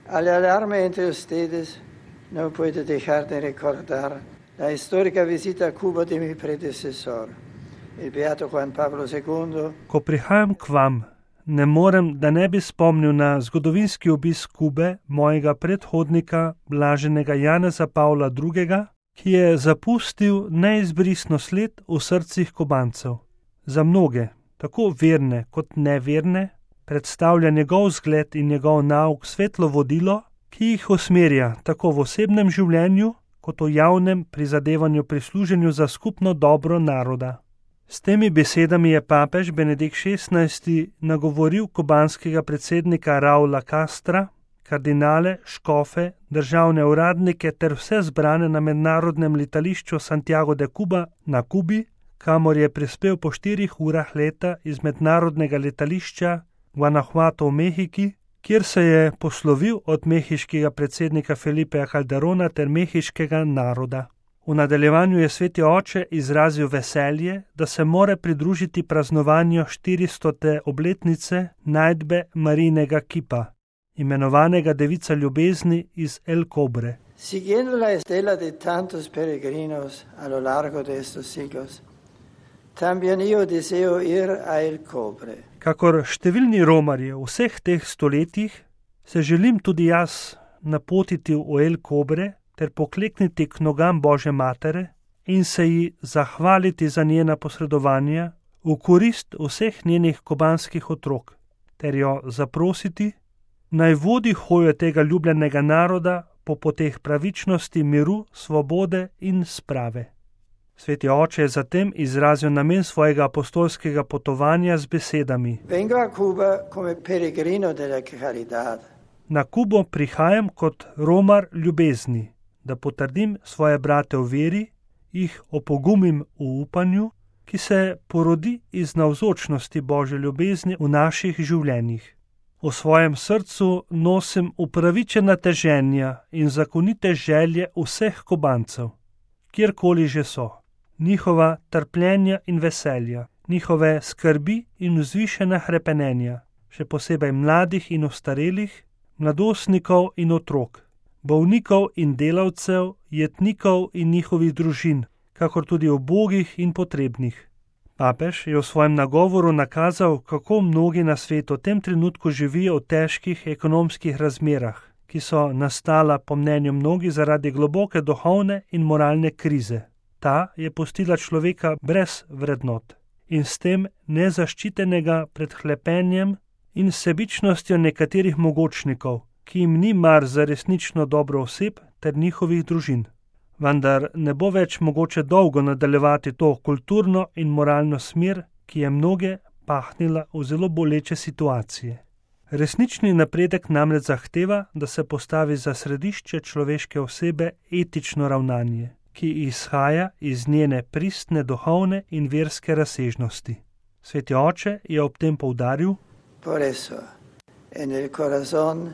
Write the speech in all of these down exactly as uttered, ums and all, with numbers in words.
Al alarme entre ustedes no puedo dejar de recordar la histórica visita a Cuba de mi predecesor, il beato Juan Pablo segundo. Ko prihajam k vam, ne morem, da ne bi spomnil na zgodovinski obisk Kube mojega predhodnika, blaženega Janeza Pavla drugega., ki je zapustil neizbrisno sled v srcih Kubancev. Za mnoge, tako verne kot neverne, predstavlja njegov zgled in njegov nauk svetlo vodilo, ki jih usmerja tako v osebnem življenju, kot v javnem prizadevanju pri služenju za skupno dobro naroda. S temi besedami je papež Benedikt šestnajsti nagovoril kubanskega predsednika Raula Castra, kardinale, škofe, državne uradnike ter vse zbrane na mednarodnem letališču Santiago de Cuba na Kubi, kamor je prispel po štirih urah leta iz mednarodnega letališča Guanajuato v Mehiki, kjer se je poslovil od mehiškega predsednika Felipeja Calderona ter mehiškega naroda. V nadaljevanju je sveti oče izrazil veselje, da se more pridružiti praznovanju štiristote obletnice najdbe Marijinega kipa, imenovanega Devica ljubezni iz El Cobre. Siguiendo la estela de tantos peregrinos a lo largo de estos siglos, también yo deseo ir a El Cobre. Kakor številni romarji v vseh teh stoletjih, se želim tudi jaz napotiti v El Cobre ter poklekniti k nogam Božje matere in se ji zahvaliti za njena posredovanja v korist vseh njenih kubanskih otrok, ter jo zaprositi, naj vodi hojo tega ljubljenega naroda po poteh pravičnosti, miru, svobode in sprave. Sveti oče je zatem izrazil namen svojega apostolskega potovanja z besedami: Vengo a Cuba come peregrino della caridad. Na Kubo prihajam kot romar ljubezni, da potrdim svoje brate v veri, jih opogumim v upanju, ki se porodi iz navzočnosti Božje ljubezni v naših življenjih. V svojem srcu nosim upravičena teženja in zakonite želje vseh Kubancev, kjerkoli že so, njihova trpljenja in veselja, njihove skrbi in vzvišena hrepenenja, še posebej mladih in ostarelih, mladostnikov in otrok, bolnikov in delavcev, jetnikov in njihovih družin, kakor tudi ubogih in potrebnih. Papež je v svojem nagovoru nakazal, kako mnogi na svetu v tem trenutku živijo v težkih ekonomskih razmerah, ki so nastala po mnenju mnogih zaradi globoke duhovne in moralne krize. Ta je pustila človeka brez vrednot in s tem nezaščitenega pred hlepenjem in sebičnostjo nekaterih mogočnikov, ki jim ni mar za resnično dobro oseb ter njihovih družin. Vendar ne bo več mogoče dolgo nadaljevati to kulturno in moralno smer, ki je mnoge pahnila v zelo boleče situacije. Resnični napredek namreč zahteva, da se postavi za središče človeške osebe etično ravnanje, ki izhaja iz njene pristne duhovne in verske razsežnosti. Sveti oče je ob tem poudaril: Por eso, en el corazón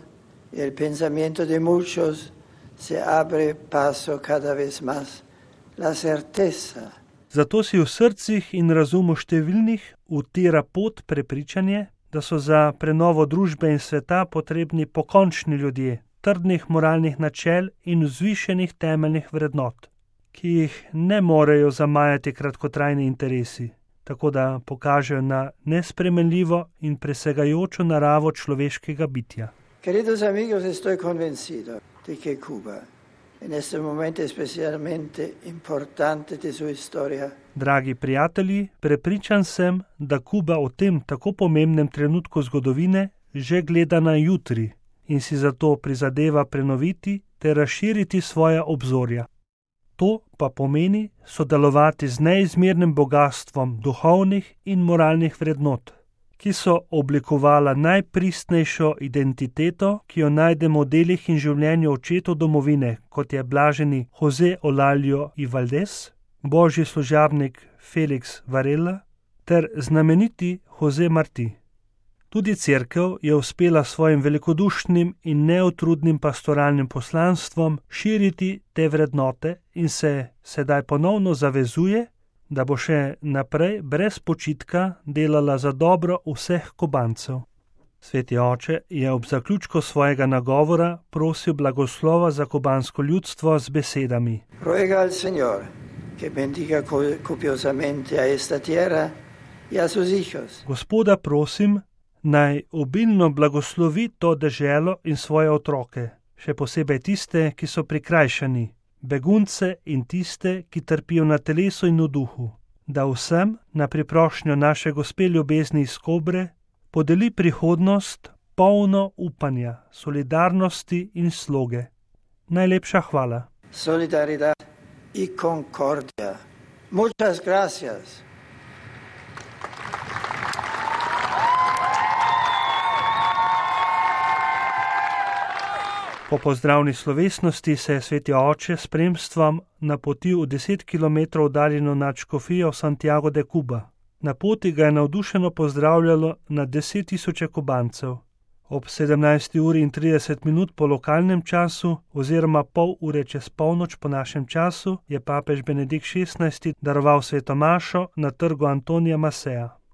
y el pensamiento de muchos se abre paso cada vez más la certeza. Zato si v srcih in razumu številnih utira pot prepričanje, da so za prenovo družbe in sveta potrebni pokončni ljudje, trdnih moralnih načel in vzvišenih temeljnih vrednot, ki jih ne morejo zamajati kratkotrajni interesi, tako da pokažejo na nespremenljivo in presegajočo naravo človeškega bitja. Queridos amigos, estoy convencido de que Cuba, en este momento especialmente importante de su historia. Dragi prijatelji, prepričan sem, da Kuba v tem tako pomembnem trenutku zgodovine že gleda na jutri in si zato prizadeva prenoviti ter razširiti svoja obzorja. To pa pomeni sodelovati z neizmernim bogatstvom duhovnih in moralnih vrednot, ki so oblikovala najpristnejšo identiteto, ki jo najdemo v delih in življenju očetov domovine, kot je blaženi José Olalio y Valdés, božji služabnik Felix Varela ter znameniti José Martí. Tudi cerkev je uspela svojim velikodušnim in neutrudnim pastoralnim poslanstvom širiti te vrednote in se sedaj ponovno zavezuje, da bo še naprej brez počitka delala za dobro vseh Kubancev. Sveti oče je ob zaključku svojega nagovora prosil blagoslova za kubansko ljudstvo z besedami: Ruega al Señor, que bendiga copiosamente a esta tierra y a sus hijos. Gospoda prosim, naj obilno blagoslovi to deželo in svoje otroke, še posebej tiste, ki so prikrajšani, begunce in tiste, ki trpijo na telesu in v duhu, da vsem na priprošnjo naše Gospe ljubezni iz Kobre podeli prihodnost polno upanja, solidarnosti in sloge. Najlepša hvala. Solidaridad y concordia. Muchas gracias. Po pozdravni slovesnosti se je sveti oče s spremstvom napotil v deset kilometrov oddaljeno nadškofijo Santiago de Cuba. Na poti ga je navdušeno pozdravljalo na deset tisoče Kubancev. Ob sedemnajsti uri in trideset minut po lokalnem času oziroma pol ure čez polnoč po našem času je papež Benedikt šestnajsti daroval sveto mašo na trgu Antonija Masseja.